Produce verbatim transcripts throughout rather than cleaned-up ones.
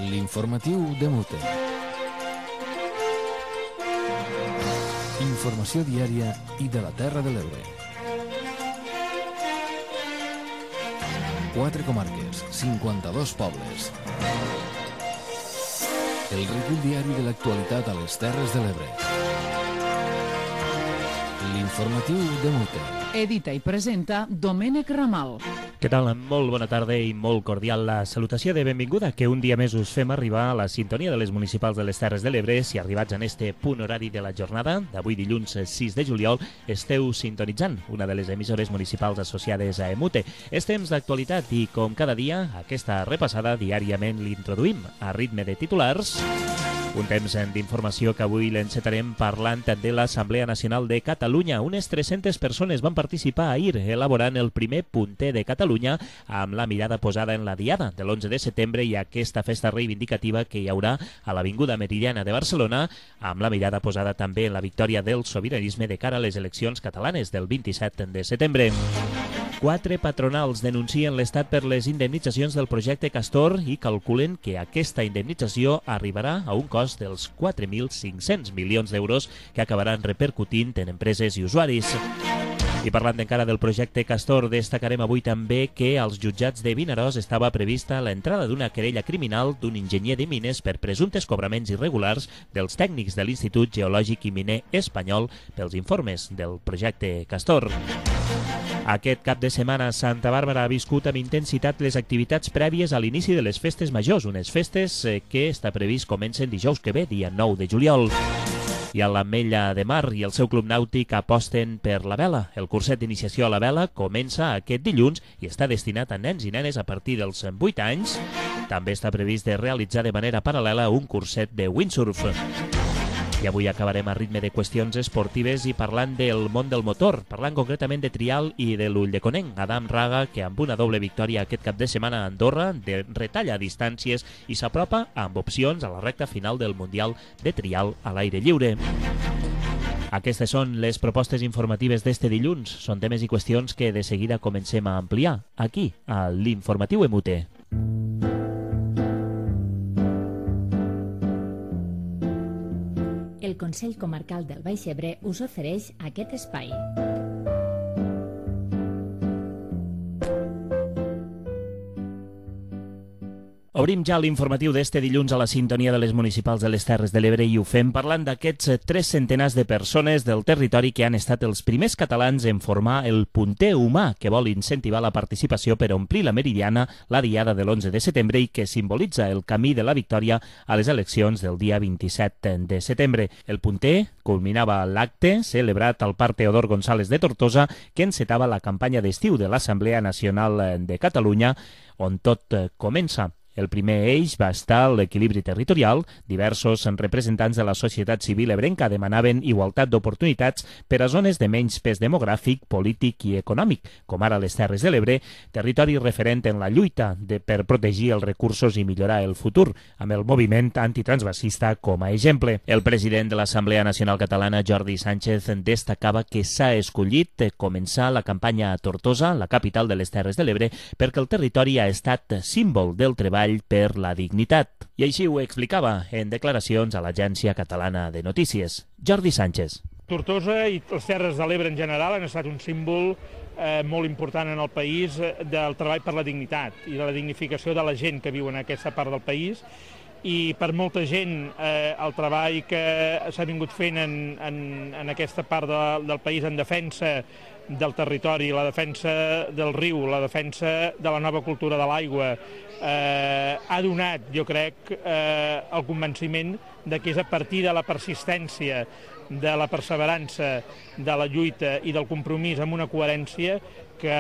L'informatiu de Mute. Informació diària i de la Terra de l'Ebre. Quatre comarques, cinquanta-dos pobles. El recull diari de l'actualitat a les Terres de l'Ebre. L'informatiu de Mute. Edita i presenta Domènec Ramal. Què tal? Molt bona tarda i molt cordial la salutació de benvinguda que un dia més us fem arribar a la sintonia de les municipals de les Terres de l'Ebre. Si arribats en este punt horari de la jornada, d'avui dilluns sis de juliol, esteu sintonitzant una de les emissores municipals associades a Emute. És temps d'actualitat i, com cada dia, aquesta repassada diàriament l'introduïm a ritme de titulars. Un temps d'informació que avui l'encetarem parlant de l'Assemblea Nacional de Catalunya. Unes tres-centes persones van participar ahir elaborant el primer punter de Catalunya amb la mirada posada en la diada de l'onze de setembre i aquesta festa reivindicativa que hi haurà a l'Avinguda Meridiana de Barcelona, amb la mirada posada també en la victòria del sobiranisme de cara a les eleccions catalanes del vint-i-set de setembre. Quatre patronals denuncien l'Estat per les indemnitzacions del projecte Castor i calculen que aquesta indemnització arribarà a un cost dels quatre mil cinc-cents milions d'euros que acabaran repercutint en empreses i usuaris. I parlant encara del projecte Castor, destacarem avui també que als jutjats de Vinaròs estava prevista l'entrada d'una querella criminal d'un enginyer de mines per presumptes cobraments irregulars dels tècnics de l'Institut Geològic i Miner Espanyol pels informes del projecte Castor. Aquest cap de setmana, Santa Bàrbara ha viscut amb intensitat les activitats prèvies a l'inici de les festes majors, unes festes que està previst comencen dijous que ve, dia nou de juliol. I a l'Ametlla de Mar i el seu club nàutic aposten per la vela. El curset d'iniciació a la vela comença aquest dilluns i està destinat a nens i nenes a partir dels vuit anys. També està previst de realitzar de manera paral·lela un curset de windsurf. I avui acabarem a ritme de qüestions esportives i parlant del món del motor, parlant concretament de trial i de l'Ulldeconnenc. Adam Raga, que amb una doble victòria aquest cap de setmana a Andorra, de retalla distàncies i s'apropa amb opcions a la recta final del Mundial de Trial a l'aire lliure. Aquestes són les propostes informatives d'este dilluns. Són temes i qüestions que de seguida comencem a ampliar aquí, a l'Informatiu Emute. El Consell Comarcal del Baix Ebre us ofereix aquest espai. Obrim ja l'informatiu d'este dilluns a la sintonia de les municipals de les Terres de l'Ebre i ho fem parlant d'aquests tres centenars de persones del territori que han estat els primers catalans en formar el punter humà que vol incentivar la participació per omplir la Meridiana la diada de l'onze de setembre i que simbolitza el camí de la victòria a les eleccions del dia vint-i-set de setembre. El punter culminava l'acte celebrat al Parc Teodor González de Tortosa que encetava la campanya d'estiu de l'Assemblea Nacional de Catalunya on tot comença. El primer eix va estar l'equilibri territorial. Diversos representants de la societat civil ebrenca demanaven igualtat d'oportunitats per a zones de menys pes demogràfic, polític i econòmic, com ara les Terres de l'Ebre, territori referent en la lluita de, per protegir els recursos i millorar el futur, amb el moviment antitransvasista com a exemple. El president de l'Assemblea Nacional Catalana, Jordi Sánchez, destacava que s'ha escollit començar la campanya a Tortosa, la capital de les Terres de l'Ebre, perquè el territori ha estat símbol del treball per la dignitat. I així ho explicava en declaracions a l'Agència Catalana de Notícies. Jordi Sánchez. Tortosa i les Terres de l'Ebre en general han estat un símbol eh, molt important en el país eh, del treball per la dignitat i de la dignificació de la gent que viu en aquesta part del país. I per molta gent eh, el treball que s'ha vingut fent en, en, en aquesta part de, del país en defensa del territori, la defensa del riu, la defensa de la nova cultura de l'aigua, eh, ha donat, jo crec, eh, el convenciment de que és a partir de la persistència, de la perseverança, de la lluita i del compromís amb una coherència que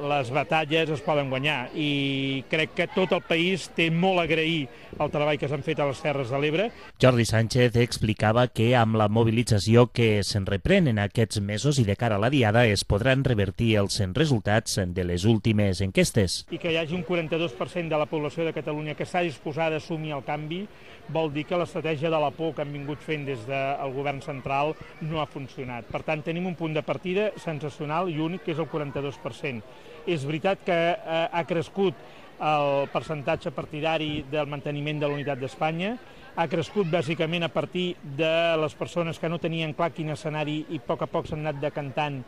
les batalles es poden guanyar. I crec que tot el país té molt a agrair el treball que s'han fet a les Terres de l'Ebre. Jordi Sánchez explicava que amb la mobilització que se'n reprèn en aquests mesos i de cara a la diada es podran revertir els resultats de les últimes enquestes. I que hi hagi un quaranta-dos per cent de la població de Catalunya que està disposada a assumir el canvi vol dir que l'estratègia de la por que han vingut fent des del govern central no ha funcionat. Per tant, tenim un punt de partida sensacional i únic, que és el quaranta-dos per cent. És veritat que eh, ha crescut el percentatge partidari del manteniment de l'unitat d'Espanya, ha crescut bàsicament a partir de les persones que no tenien clar quin escenari i a poc a poc s'han anat decantant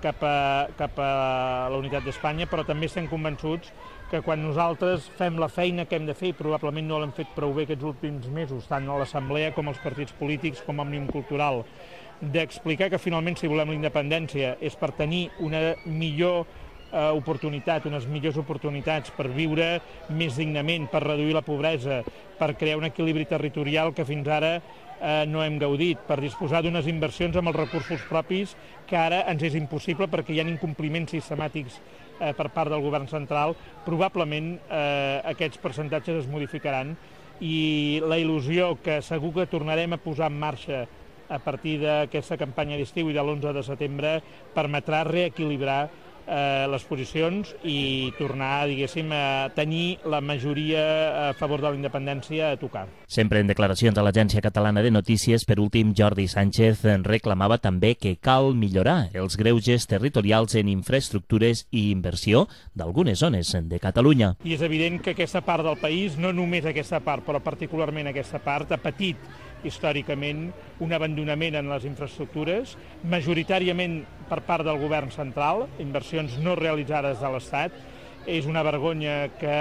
cap a, cap a la unitat d'Espanya, però també estem convençuts que quan nosaltres fem la feina que hem de fer, i probablement no l'hem fet prou bé aquests últims mesos, tant a l'Assemblea com als partits polítics com a Òmnium Cultural, d'explicar que finalment si volem la independència és per tenir una millor eh, oportunitat, unes millors oportunitats per viure més dignament, per reduir la pobresa, per crear un equilibri territorial que fins ara eh, no hem gaudit, per disposar d'unes inversions amb els recursos propis que ara ens és impossible perquè hi ha incompliments sistemàtics eh, per part del govern central, probablement eh, aquests percentatges es modificaran i la il·lusió que segur que tornarem a posar en marxa a partir d'aquesta campanya d'estiu i de l'onze de setembre permetrà reequilibrar eh, les posicions i tornar, diguéssim, a tenir la majoria a favor de la independència a tocar. Sempre en declaracions a l'Agència Catalana de Notícies, per últim, Jordi Sánchez reclamava també que cal millorar els greuges territorials en infraestructures i inversió d'algunes zones de Catalunya. I és evident que aquesta part del país, no només aquesta part, però particularment aquesta part, ha patit històricament un abandonament en les infraestructures, majoritàriament per part del govern central, inversions no realitzades de l'Estat. És una vergonya que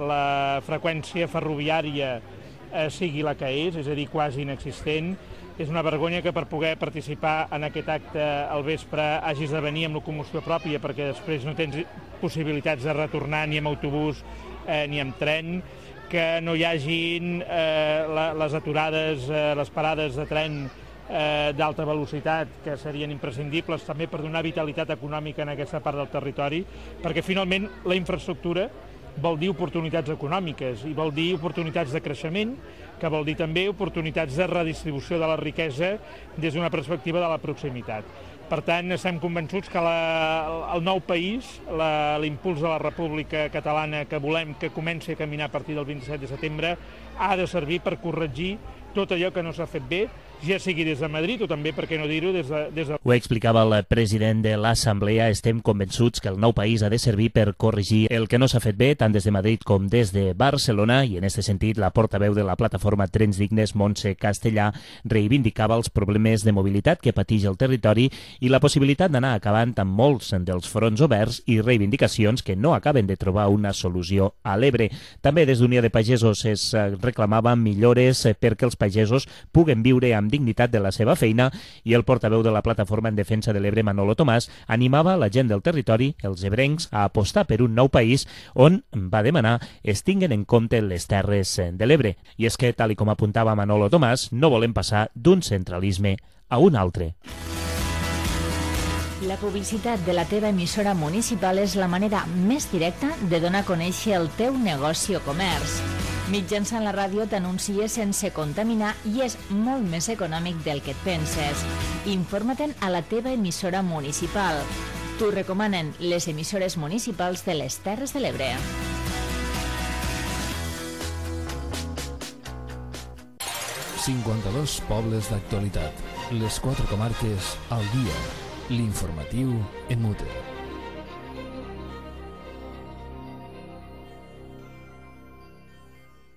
la freqüència ferroviària eh, sigui la que és, és a dir, quasi inexistent. És una vergonya que per poder participar en aquest acte al vespre hagis de venir amb locomoció pròpia perquè després no tens possibilitats de retornar ni amb autobús eh, ni amb tren, que no hi hagin eh, la, les aturades, eh, les parades de tren eh, d'alta velocitat que serien imprescindibles també per donar vitalitat econòmica en aquesta part del territori, perquè finalment la infraestructura vol dir oportunitats econòmiques i vol dir oportunitats de creixement, que vol dir també oportunitats de redistribució de la riquesa des d'una perspectiva de la proximitat. Per tant, estem convençuts que la, el nou país, l'impuls de la República Catalana que volem que comenci a caminar a partir del vint-i-set de setembre, ha de servir per corregir tot allò que no s'ha fet bé, ja sigui des de Madrid o també, per què no dir-ho, des de... Des de... Ho explicava el president de l'Assemblea. Estem convençuts que el nou país ha de servir per corregir el que no s'ha fet bé, tant des de Madrid com des de Barcelona, i en aquest sentit la portaveu de la plataforma Trens Dignes, Montse Castellà, reivindicava els problemes de mobilitat que pateix el territori i la possibilitat d'anar acabant amb molts dels fronts oberts i reivindicacions que no acaben de trobar una solució a l'Ebre. També des d'Unió de Pagesos es reclamava millores perquè els pagesos puguen viure amb dignitat de la seva feina, i el portaveu de la plataforma en defensa de l'Ebre, Manolo Tomàs, animava la gent del territori, els ebrencs, a apostar per un nou país on, va demanar, es tinguen en compte les terres de l'Ebre. I és que, tal i com apuntava Manolo Tomàs, no volem passar d'un centralisme a un altre. La publicitat de la teva emissora municipal és la manera més directa de donar a conèixer el teu negoci o comerç. Mitjançant la ràdio t'anuncies sense contaminar i és molt més econòmic del que et penses. Informa-te'n a la teva emissora municipal. T'ho recomanen les emissores municipals de les Terres de l'Ebre. cinquanta-dos pobles d'actualitat. Les quatre comarques al dia. L'informatiu en mute.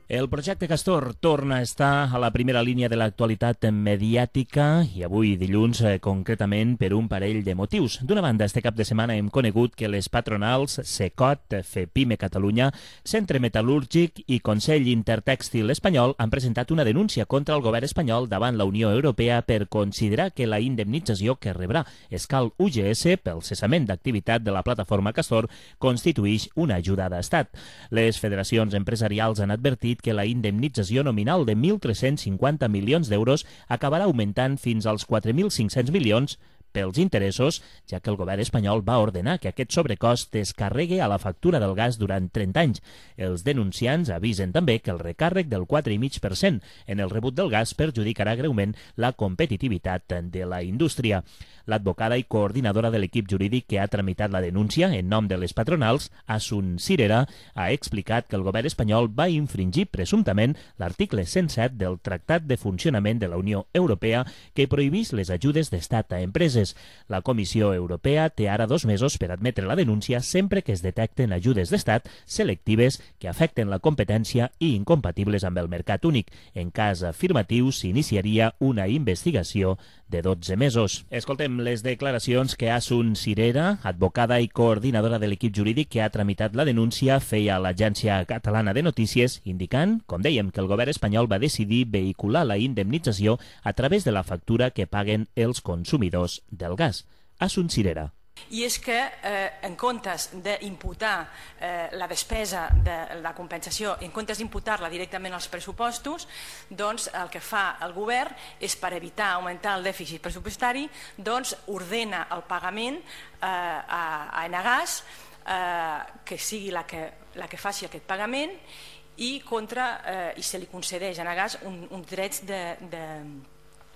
El projecte Castor torna a estar a la primera línia de l'actualitat mediàtica i avui dilluns eh, concretament per un parell de motius. D'una banda, este cap de setmana hem conegut que les patronals Secot, FEPIME Catalunya, Centre Metal·lúrgic i Consell Intertèxtil Espanyol han presentat una denúncia contra el govern espanyol davant la Unió Europea per considerar que la indemnització que rebrà Escal U G S pel cessament d'activitat de la plataforma Castor constituïx una ajuda d'estat. Les federacions empresarials han advertit que la indemnització nominal de mil tres-cents cinquanta milions d'euros acabarà augmentant fins als quatre mil cinc-cents milions pels interessos, ja que el govern espanyol va ordenar que aquest sobrecost es carregui a la factura del gas durant trenta anys. Els denunciants avisen també que el recàrrec del quatre coma cinc per cent en el rebut del gas perjudicarà greument la competitivitat de la indústria. L'advocada i coordinadora de l'equip jurídic que ha tramitat la denúncia en nom de les patronals, Asun Cirera, ha explicat que el govern espanyol va infringir presumptament l'article cent set del Tractat de Funcionament de la Unió Europea que prohibís les ajudes d'estat a empreses. factures. La Comissió Europea té ara dos mesos per admetre la denúncia sempre que es detecten ajudes d'estat selectives que afecten la competència i incompatibles amb el mercat únic. En cas afirmatiu, s'iniciaria una investigació de dotze mesos. Escoltem les declaracions que Asun Cirera, advocada i coordinadora de l'equip jurídic que ha tramitat la denúncia, feia a l'Agència Catalana de Notícies, indicant, com dèiem, que el govern espanyol va decidir vehicular la indemnització a través de la factura que paguen els consumidors del gas. Asun Cirera. I és que eh, en comptes d'imputar eh, la despesa de la compensació, en comptes d'imputar-la directament als pressupostos, doncs el que fa el govern és, per evitar augmentar el dèficit pressupostari, doncs ordena el pagament eh, a, a Enagás, eh, que sigui la que, la que faci aquest pagament, i, contra, eh, i se li concedeix a Enagás un, uns drets de, de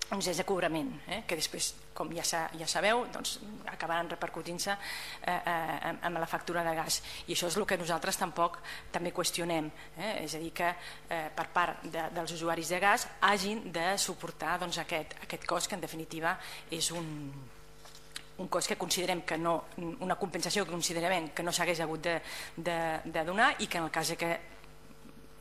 uns drets de cobrament, eh, que després, com ja, sa, ja sabeu, doncs, acabaran repercutint-se eh, eh, amb la factura de gas. I això és el que nosaltres tampoc també qüestionem. Eh? És a dir, que eh, per part de, dels usuaris de gas hagin de suportar doncs, aquest, aquest cost, que en definitiva és un, un cost que considerem que no, una compensació que considerem que no s'hagués hagut de, de, de donar, i que en el cas que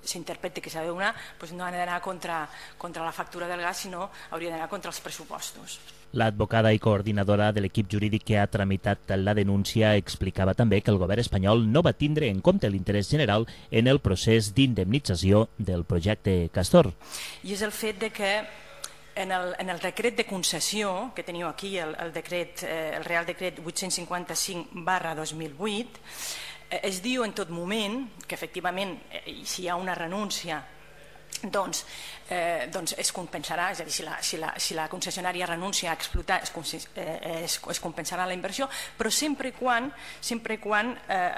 s'interpreti que s'ha de donar, doncs no ha d'anar contra, contra la factura del gas, sinó hauria d'anar contra els pressupostos. L'advocada i coordinadora de l'equip jurídic que ha tramitat la denúncia explicava també que el govern espanyol no va tindre en compte l'interès general en el procés d'indemnització del projecte Castor. I és el fet de que en el, en el decret de concessió, que teniu aquí, el, el, decret, eh, el Real Decret vuit-cents cinquanta-cinc barra dos mil vuit, es diu en tot moment que efectivament si hi ha una renúncia doncs, eh, doncs es compensarà, és a dir, si la, si la, si la concessionària renuncia a explotar es, eh, es, es compensarà la inversió, però sempre i quan, sempre i quan eh,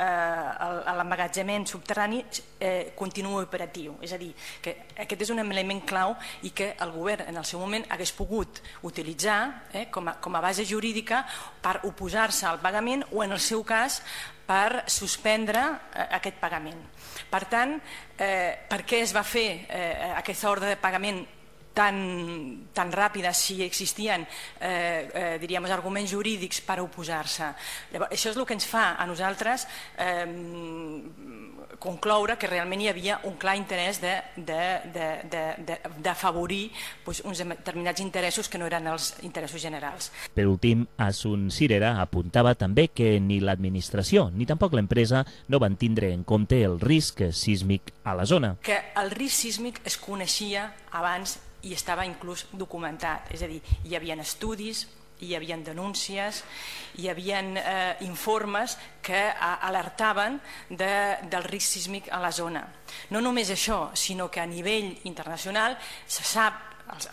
l'emmagatzemament subterrani eh, continuï operatiu. És a dir, que aquest és un element clau i que el govern en el seu moment hagués pogut utilitzar eh, com, a, com a base jurídica per oposar-se al pagament o, en el seu cas, per suspendre eh, aquest pagament. Per tant, eh, per què es va fer eh, aquesta ordre de pagament tan, tan ràpida si existien eh, eh, diríem, arguments jurídics per oposar-se? Això és el que ens fa a nosaltres eh, concloure que realment hi havia un clar interès d'afavorir doncs, uns determinats interessos que no eren els interessos generals. Per últim, Asun Cirera apuntava també que ni l'administració ni tampoc l'empresa no van tindre en compte el risc sísmic a la zona. Que el risc sísmic es coneixia abans i estava inclús documentat, és a dir, hi havia estudis, hi havia denúncies, hi havia eh, informes que alertaven de, del risc sísmic a la zona. No només això, sinó que a nivell internacional se sap, els,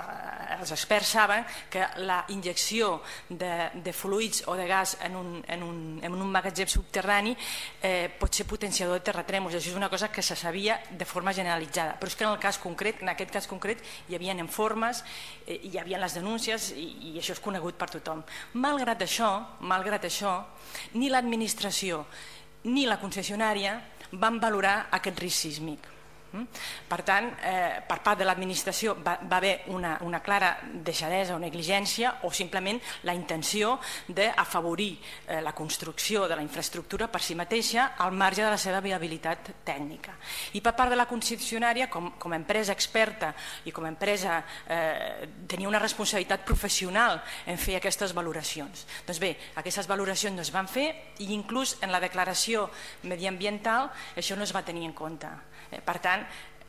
els experts saben que la injecció de, de fluids o de gas en un, en un, en un magatzem subterrani eh, pot ser potenciador de terratrèmols. Això és una cosa que se sabia de forma generalitzada, però és que en el cas concret, en aquest cas concret, hi havia informes, eh, hi havia les denúncies i, i això és conegut per tothom. Malgrat això, malgrat això, ni l'administració ni la concessionària van valorar aquest risc sísmic. Per tant, eh, per part de l'administració va, va haver una, una clara deixadesa o negligència o simplement la intenció d'afavorir eh, la construcció de la infraestructura per si mateixa al marge de la seva viabilitat tècnica. I per part de la concessionària, com, com a empresa experta i com a empresa eh, tenia una responsabilitat professional en fer aquestes valoracions. Doncs bé, aquestes valoracions no es van fer i inclús en la declaració mediambiental això no es va tenir en compte. Per tant,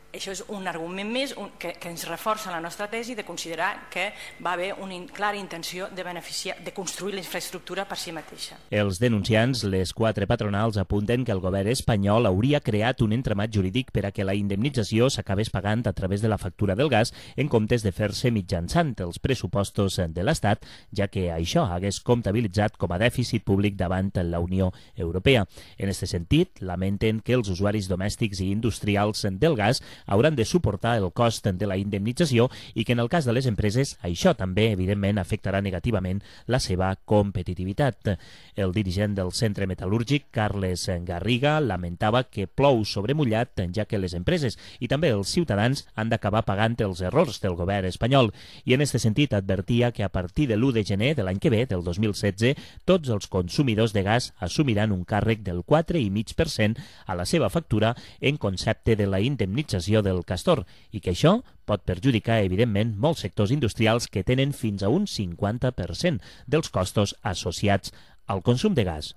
això és un argument més que, que ens reforça la nostra tesi de considerar que va haver una clara intenció de beneficiar, de construir la infraestructura per si mateixa. Els denunciants, les quatre patronals, apunten que el govern espanyol hauria creat un entramat jurídic per a que la indemnització s'acabés pagant a través de la factura del gas en comptes de fer-se mitjançant els pressupostos de l'Estat, ja que això hagués comptabilitzat com a dèficit públic davant la Unió Europea. En aquest sentit, lamenten que els usuaris domèstics i industrials del gas hauran de suportar el cost de la indemnització i que en el cas de les empreses això també, evidentment, afectarà negativament la seva competitivitat. El dirigent del centre metal·lúrgic, Carles Garriga, lamentava que plou sobre mullat, ja que les empreses i també els ciutadans han d'acabar pagant els errors del govern espanyol. I en aquest sentit advertia que a partir de l'u de gener de l'any que ve, del dos mil setze, tots els consumidors de gas assumiran un càrrec del quatre coma cinc per cent a la seva factura en concepte de la indemnització del castor i que això pot perjudicar, evidentment, molts sectors industrials que tenen fins a un cinquanta per cent dels costos associats al consum de gas.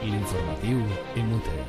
L'informatiu Emute.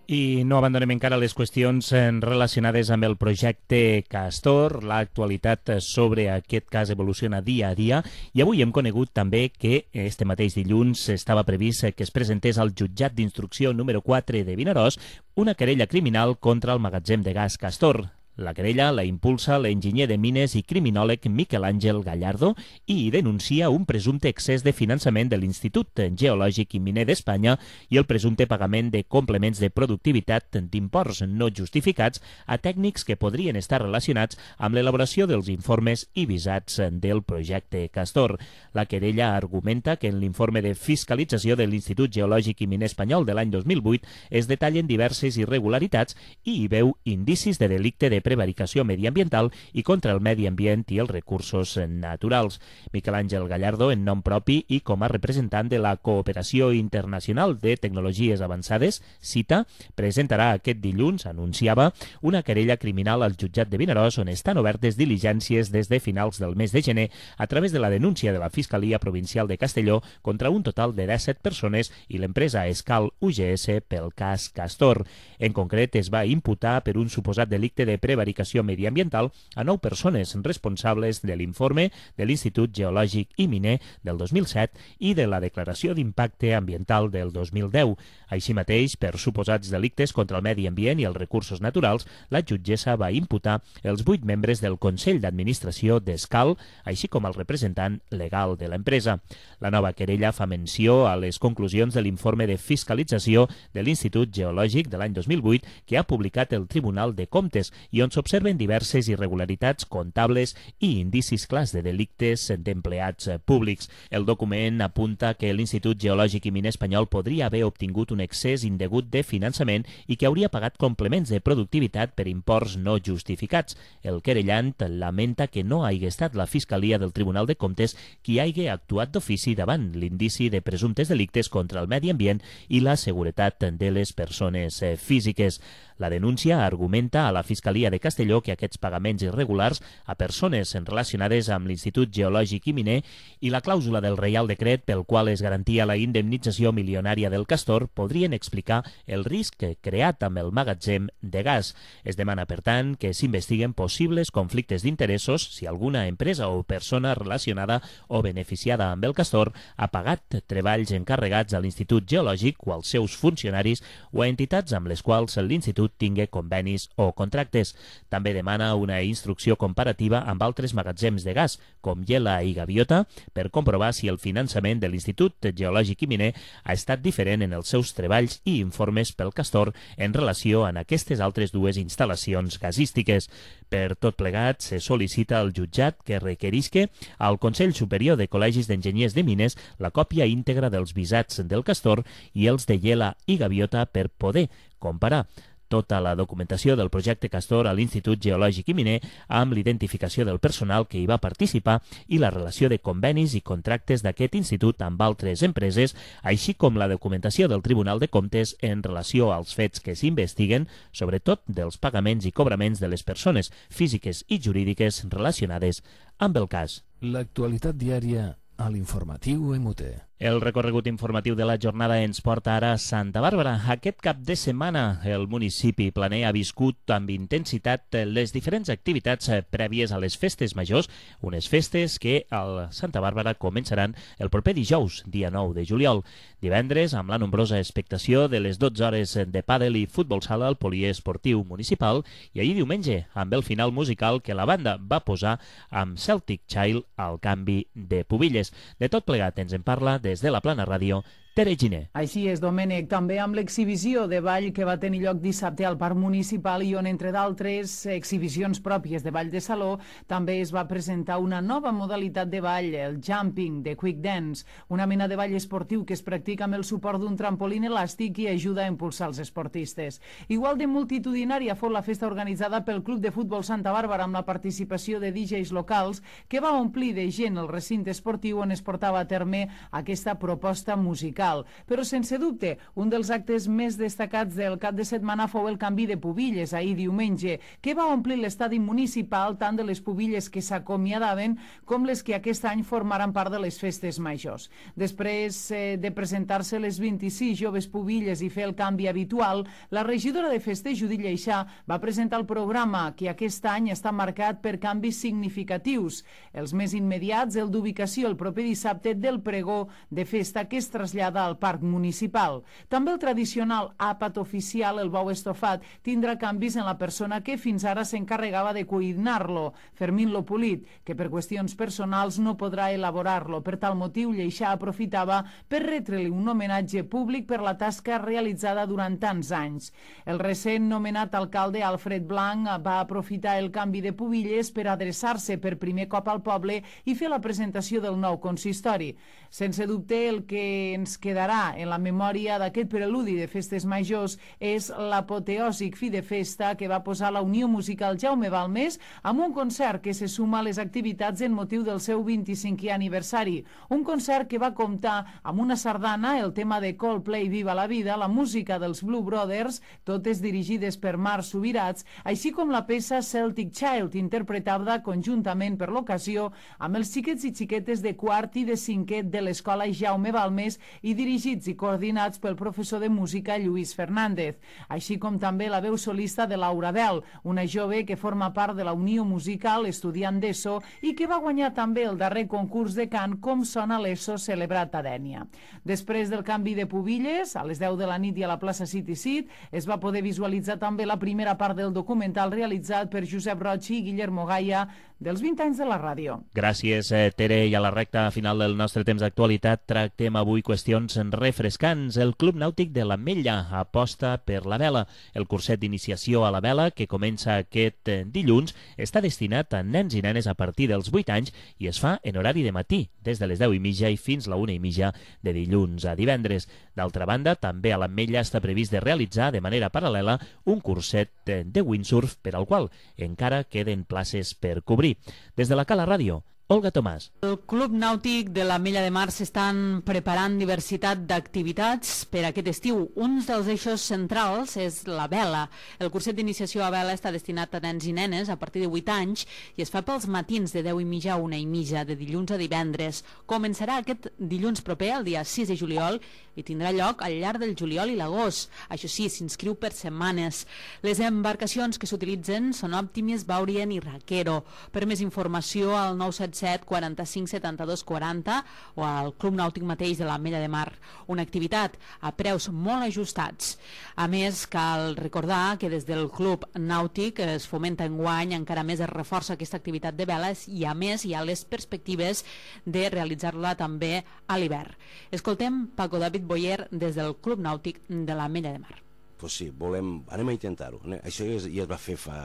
I no abandonem encara les qüestions relacionades amb el projecte Castor. L'actualitat sobre aquest cas evoluciona dia a dia i avui hem conegut també que este mateix dilluns estava previst que es presentés al jutjat d'instrucció número quatre de Vinaròs una querella criminal contra el magatzem de gas Castor. La querella la impulsa l'enginyer de mines i criminòleg Miquel Àngel Gallardo i denuncia un presumpte excés de finançament de l'Institut Geològic i Miner d'Espanya i el presumpte pagament de complements de productivitat d'imports no justificats a tècnics que podrien estar relacionats amb l'elaboració dels informes i visats del projecte Castor. La querella argumenta que en l'informe de fiscalització de l'Institut Geològic i Miner Espanyol de l'any dos mil vuit es detallen diverses irregularitats i hi veu indicis de delicte de prevaricació mediambiental i contra el medi ambient i els recursos naturals. Miquel Àngel Gallardo, en nom propi i com a representant de la Cooperació Internacional de Tecnologies Avançades, CITA, presentarà aquest dilluns, anunciava, una querella criminal al jutjat de Vinaròs on estan obertes diligències des de finals del mes de gener a través de la denúncia de la Fiscalia Provincial de Castelló contra un total de disset persones i l'empresa Escal U G S pel cas Castor. En concret, es va imputar per un suposat delicte de prevaricació mediambiental a nou persones responsables de l'informe de l'Institut Geològic i Miner del dos mil set i de la declaració d'impacte ambiental del dos mil deu. Així mateix, per suposats delictes contra el medi ambient i els recursos naturals, la jutgessa va imputar els vuit membres del Consell d'Administració d'Escal, així com el representant legal de l'empresa. La nova querella fa menció a les conclusions de l'informe de fiscalització de l'Institut Geològic de l'any dos mil vuit que ha publicat el Tribunal de Comptes i on s'observen diverses irregularitats comptables i indicis clars de delictes d'empleats públics. El document apunta que l'Institut Geològic i Miner Espanyol podria haver obtingut un excés indegut de finançament i que hauria pagat complements de productivitat per imports no justificats. El querellant lamenta que no hagi estat la Fiscalia del Tribunal de Comptes qui hagi actuat d'ofici davant l'indici de presumptes delictes contra el medi ambient i la seguretat de les persones físiques. La denúncia argumenta a la Fiscalia de Castelló que aquests pagaments irregulars a persones relacionades amb l'Institut Geològic i Miner i la clàusula del Reial Decret pel qual es garantia la indemnització milionària del Castor podrien explicar el risc creat amb el magatzem de gas. Es demana, per tant, que s'investiguen possibles conflictes d'interessos si alguna empresa o persona relacionada o beneficiada amb el Castor ha pagat treballs encarregats a l'Institut Geològic o als seus funcionaris o a entitats amb les quals l'Institut tingui convenis o contractes. També demana una instrucció comparativa amb altres magatzems de gas, com Yela i Gaviota, per comprovar si el finançament de l'Institut Geològic i Miner ha estat diferent en els seus treballs i informes pel Castor en relació amb aquestes altres dues instal·lacions gasístiques. Per tot plegat, se sol·licita al jutjat que requerisque al Consell Superior de Col·legis d'Enginyers de Mines la còpia íntegra dels visats del Castor i els de Yela i Gaviota per poder comparar tota la documentació del projecte Castor a l'Institut Geològic i Miner amb l'identificació del personal que hi va participar i la relació de convenis i contractes d'aquest institut amb altres empreses, així com la documentació del Tribunal de Comptes en relació als fets que s'investiguen, sobretot dels pagaments i cobraments de les persones físiques i jurídiques relacionades amb el cas. L'actualitat diària a l'informatiu Emute. El recorregut informatiu de la jornada ens porta ara a Santa Bàrbara. Aquest cap de setmana el municipi planer ha viscut amb intensitat les diferents activitats prèvies a les festes majors, unes festes que a Santa Bàrbara començaran el proper dijous, dia nou de juliol. Divendres, amb la nombrosa expectació de les dotze hores de pàdel i futbol sala al poliesportiu municipal, i ahir diumenge, amb el final musical que la banda va posar amb Celtic Child al canvi de pubilles. De tot plegat ens en parla des de la Plana Ràdio Tere Giner. Així és, Domènec, també amb l'exhibició de ball que va tenir lloc dissabte al Parc Municipal i on, entre d'altres exhibicions pròpies de ball de saló, també es va presentar una nova modalitat de ball, el jumping de quick dance, una mena de ball esportiu que es practica amb el suport d'un trampolín elàstic i ajuda a impulsar els esportistes. Igual de multitudinària fou la festa organitzada pel Club de Futbol Santa Bàrbara amb la participació de D Js locals que va omplir de gent el recinte esportiu on es portava a terme aquesta proposta musical. Però sense dubte, un dels actes més destacats del cap de setmana fou el canvi de pubilles ahir diumenge, que va omplir l'estadi municipal tant de les pubilles que s'acomiadaven com les que aquest any formaran part de les festes majors. Després eh, de presentar-se les vint-i-sis joves pubilles i fer el canvi habitual, la regidora de festes, Judit Lleixà, va presentar el programa que aquest any està marcat per canvis significatius. Els més immediats, el d'ubicació el proper dissabte del pregó de festa que es trasllada al Parc Municipal. També el tradicional àpat oficial, el bou estofat, tindrà canvis en la persona que fins ara s'encarregava de cuinar-lo, Fermín Lopulit, que per qüestions personals no podrà elaborar-lo. Per tal motiu, Lleixà aprofitava per retre-li un homenatge públic per la tasca realitzada durant tants anys. El recent nomenat alcalde Alfred Blanc va aprofitar el canvi de pubilles per adreçar-se per primer cop al poble i fer la presentació del nou consistori. Sense dubte, el que ens quedarà en la memòria d'aquest preludi de festes majors és l'apoteòsic fi de festa que va posar la Unió Musical Jaume Balmes amb un concert que se suma a les activitats en motiu del seu vint-i-cinquè aniversari. Un concert que va comptar amb una sardana, el tema de Coldplay Viva la Vida, la música dels Blue Brothers, totes dirigides per Marc Subirats, així com la peça Celtic Child, interpretada conjuntament per l'ocasió amb els xiquets i xiquetes de quart i de cinquè de l'escola Jaume Balmes i dirigits i coordinats pel professor de música Lluís Fernández, així com també la veu solista de Laura Bel, una jove que forma part de la Unió Musical, estudiant d'ESO, i que va guanyar també el darrer concurs de cant Com sona l'ESO celebrat a Dénia. Després del canvi de pubilles, a les deu de la nit i a la plaça City Seat, es va poder visualitzar també la primera part del documental realitzat per Josep Roig i Guillermo Gaia dels vint anys de la ràdio. Gràcies, Tere. I a la recta final del nostre temps d'actualitat tractem avui qüestions refrescants. El Club Nàutic de l'Ametlla aposta per la vela. El curset d'iniciació a la vela, que comença aquest dilluns, està destinat a nens i nenes a partir dels vuit anys i es fa en horari de matí, des de les deu i mitja i fins la una i mitja de dilluns a divendres. D'altra banda, també a l'Ametlla està previst de realitzar de manera paral·lela un curset de windsurf per al qual encara queden places per cobrir. Des de la Cala Ràdio, Olga Tomàs. El Club Nàutic de l'Ametlla de Mar s'estan preparant diversitat d'activitats per aquest estiu. Un dels eixos centrals és la vela. El curset d'iniciació a vela està destinat a nens i nenes a partir de vuit anys i es fa pels matins de deu i mitja a una i mitja, de dilluns a divendres. Començarà aquest dilluns proper, el dia sis de juliol, i tindrà lloc al llarg del juliol i l'agost. Això sí, s'inscriu per setmanes. Les embarcacions que s'utilitzen són Optimis, Baurien i Raquero. Per més informació, al nou set set quaranta-cinc setanta-dos quaranta o al Club Nàutic mateix de l'Ametlla de Mar. Una activitat a preus molt ajustats. A més, cal recordar que des del Club Nàutic es fomenta enguany, encara més es reforça aquesta activitat de veles i a més hi ha les perspectives de realitzar-la també a l'hivern. Escoltem Paco David Boyer des del Club Nàutic de l'Ametlla de Mar. Pues sí, volem, anem a intentar-ho. Això ja es va fer fa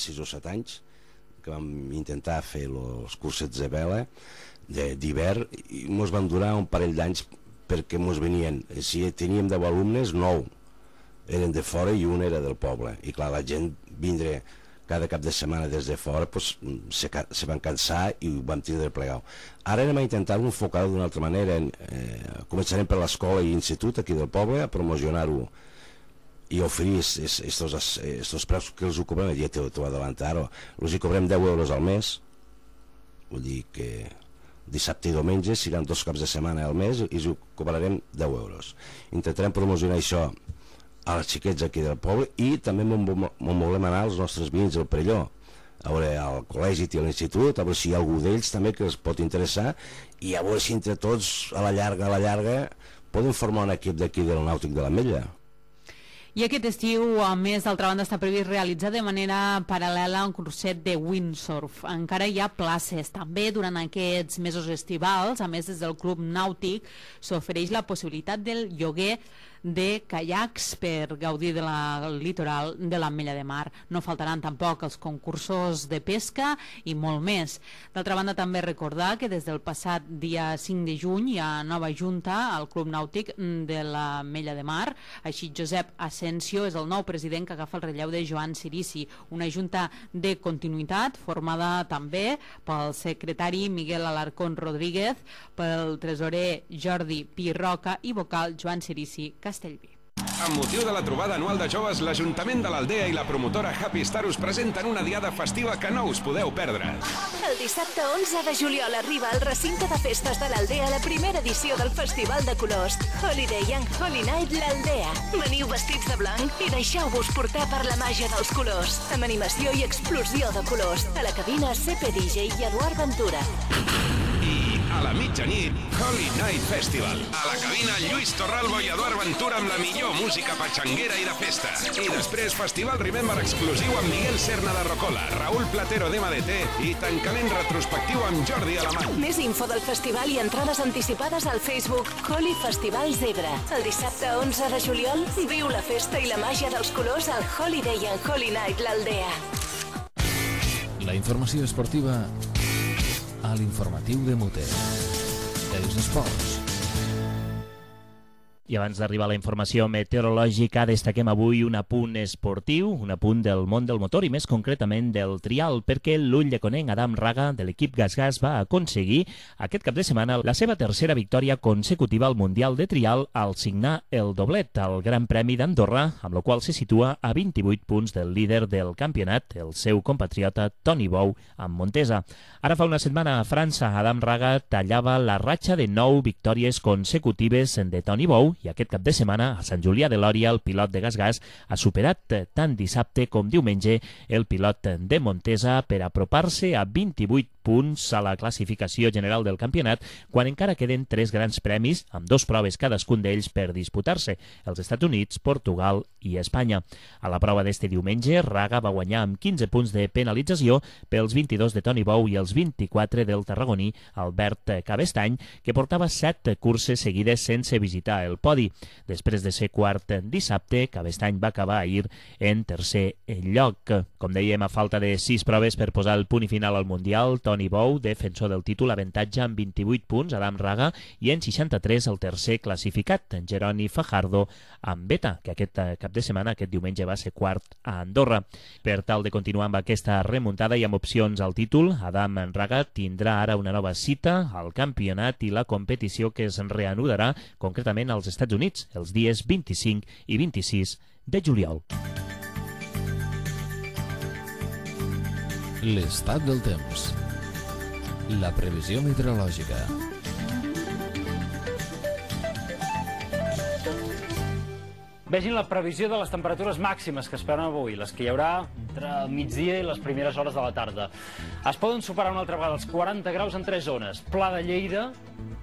sis o set anys, que vam intentar fer els cursets de vela d'hivern i ens van durar un parell d'anys perquè ens venien, si teníem deu alumnes, nou eren de fora i un era del poble, i clar, la gent vindre cada cap de setmana des de fora pues, se, se van cansar i ho vam tindre plegat. Ara anem a intentar-ho enfocar-ho d'una altra manera. Eh, començarem per l'escola i institut aquí del poble a promocionar-ho i oferir aquests preus que els ho cobrem, ja t'ho adelantar, els hi cobrem deu euros al mes, vull dir que dissabte i diumenge seran dos caps de setmana al mes i els ho cobrarem deu euros. Intentarem promocionar això als xiquets aquí del poble i també m'ho volem anar als nostres veïns del Perelló, a veure, al col·legi i a l'institut, a veure si hi ha algú d'ells també que els pot interessar i a veure si entre tots a la llarga, a la llarga, podem formar un equip d'aquí del Nàutic de l'Ametlla. I aquest estiu, a més, d'altra banda, està previst realitzar de manera paral·lela un curset de windsurf. Encara hi ha places. També durant aquests mesos estivals, a més des del Club Nàutic, s'ofereix la possibilitat del lloguer de caiacs per gaudir de la, del litoral de l'Ametlla de Mar. No faltaran tampoc els concursos de pesca i molt més. D'altra banda, també recordar que des del passat dia cinc de juny hi ha nova junta al Club Nàutic de l'Ametlla de Mar. Així, Josep Asensio és el nou president que agafa el relleu de Joan Cirici. Una junta de continuïtat formada també pel secretari Miguel Alarcón Rodríguez, pel tresorer Jordi Pirroca i vocal Joan Cirici Castellví. Amb motiu de la trobada anual de joves, l'Ajuntament de l'Aldea i la promotora Happy Star us presenten una diada festiva que no us podeu perdre. El dissabte onze de juliol arriba al recinte de festes de l'Aldea la primera edició del Festival de Colors Holiday and Holy Night l'Aldea. Veniu vestits de blanc i deixeu-vos portar per la màgia dels colors, amb animació i explosió de colors. A la cabina C P D J i Eduard Ventura. I a la mitjanit, Holy Night Festival. A la cabina, Lluís Torralbo i Eduard Ventura amb la millor música patxanguera i de festa. I després, Festival Remember exclusiu amb Miguel Serna de Rocola, Raúl Platero d'M D T i tancament retrospectiu amb Jordi Alemany. Més info del festival i entrades anticipades al Facebook Holy Festival Zebra. El dissabte onze de juliol, viu la festa i la màgia dels colors al Holiday and Holy Night l'Aldea. La informació esportiva a l'informatiu de Mute. Els esports. I abans d'arribar a la informació meteorològica, destaquem avui un apunt esportiu, un apunt del món del motor i més concretament del trial, perquè l'ullleconenc Adam Raga de l'equip GasGas va aconseguir aquest cap de setmana la seva tercera victòria consecutiva al Mundial de Trial al signar el doblet al Gran Premi d'Andorra, amb la qual se situa a vint-i-vuit punts del líder del campionat, el seu compatriota Toni Bou, amb Montesa. Ara fa una setmana a França, Adam Raga tallava la ratxa de nou victòries consecutives de Toni Bou i aquest cap de setmana a Sant Julià de Lòria el pilot de GasGas ha superat tant dissabte com diumenge el pilot de Montesa per apropar-se a vint-i-vuit punts a la classificació general del campionat, quan encara queden tres grans premis amb dos proves cadascun d'ells per disputar-se, els Estats Units, Portugal i Espanya. A la prova d'este diumenge, Raga va guanyar amb quinze punts de penalització pels vint-i-dos de Toni Bou i els vint-i-quatre del tarragoní Albert Cabestany, que portava set curses seguides sense visitar el podi. Després de ser quart dissabte, Cabestany va acabar ahir en tercer lloc. Com dèiem, a falta de sis proves per posar el punt i final al Mundial, Toni Bou, defensor del títol, avantatge amb vint-i-vuit punts, Adam Raga, i en seixanta-tres el tercer classificat, en Jeroni Fajardo, amb Beta, que aquest cap de setmana, aquest diumenge, va ser quart a Andorra. Per tal de continuar amb aquesta remuntada i amb opcions al títol, Adam Raga tindrà ara una nova cita al campionat i la competició que es reanudarà concretament als Estats Units els dies vint-i-cinc i vint-i-sis de juliol. L'estat del temps. La previsió meteorològica. Vegin la previsió de les temperatures màximes que esperen avui, les que hi haurà entre el migdia i les primeres hores de la tarda. Es poden superar una altra vegada els quaranta graus en tres zones. Pla de Lleida,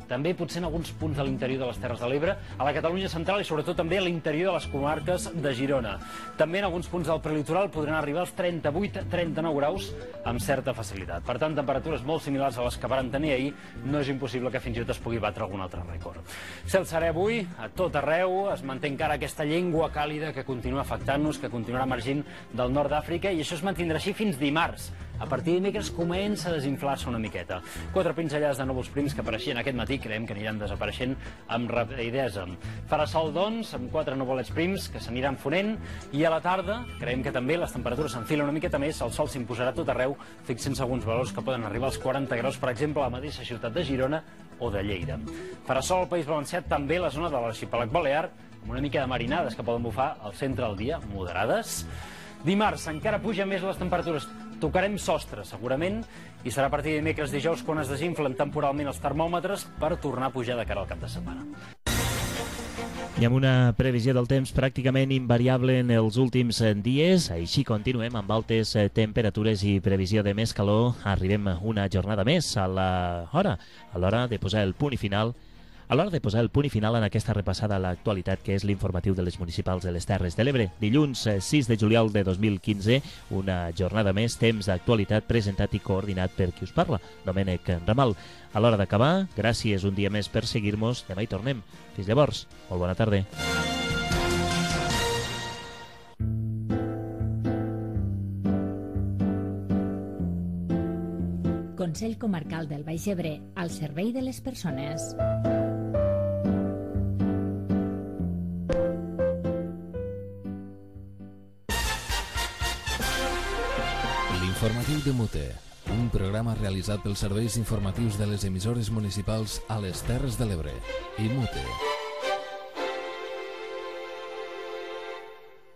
també potser en alguns punts de l'interior de les Terres de l'Ebre, a la Catalunya central i sobretot també a l'interior de les comarques de Girona. També en alguns punts del prelitoral podran arribar als trenta-vuit a trenta-nou graus amb certa facilitat. Per tant, temperatures molt similars a les que varen tenir ahir, no és impossible que fins i tot es pugui batre algun altre rècord. Cel serè avui, a tot arreu, es manté encara aquesta llengua càlida que continua afectant-nos, que continuarà emergint del nord d'Àfrica, i això es mantindrà així fins dimarts. A partir de dimecres comença a desinflar-se una miqueta. Quatre pinzellades de núvols prims que apareixien aquest matí creiem que aniran desapareixent amb rapidesa. Farà sol, doncs, amb quatre nuvolets prims que s'aniran fonent, i a la tarda creiem que també les temperatures s'enfilen una miqueta més, el sol s'imposarà tot arreu, fixant-se alguns valors que poden arribar als quaranta graus, per exemple, a la mateixa ciutat de Girona o de Lleida. Farà sol al País Valencià, també a la zona de l'arxipèlag balear, amb una mica de marinades que poden bufar al centre del dia, moderades. Dimarts encara puja més les temperatures. Tocarem sostre, segurament, i serà a partir de dimecres dijous quan es desinflen temporalment els termòmetres per tornar a pujar de cara al cap de setmana. I amb una previsió del temps pràcticament invariable en els últims dies, així continuem amb altes temperatures i previsió de més calor. Arribem una jornada més a l'hora, a l'hora de posar el punt i final A l'hora de posar el punt i final en aquesta repassada a l'actualitat que és l'informatiu de les municipals de les Terres de l'Ebre. Dilluns sis de juliol de dos mil quinze, una jornada més, temps d'actualitat presentat i coordinat per qui us parla, Domènec Ramal. A l'hora d'acabar, gràcies un dia més per seguir-nos. Demà hi tornem. Fins llavors, molt bona tarda. Consell Comarcal del Baix Ebre, al servei de les persones. L'informatiu de Mute, un programa realitzat pels serveis informatius de les emissores municipals a les Terres de l'Ebre i Mute.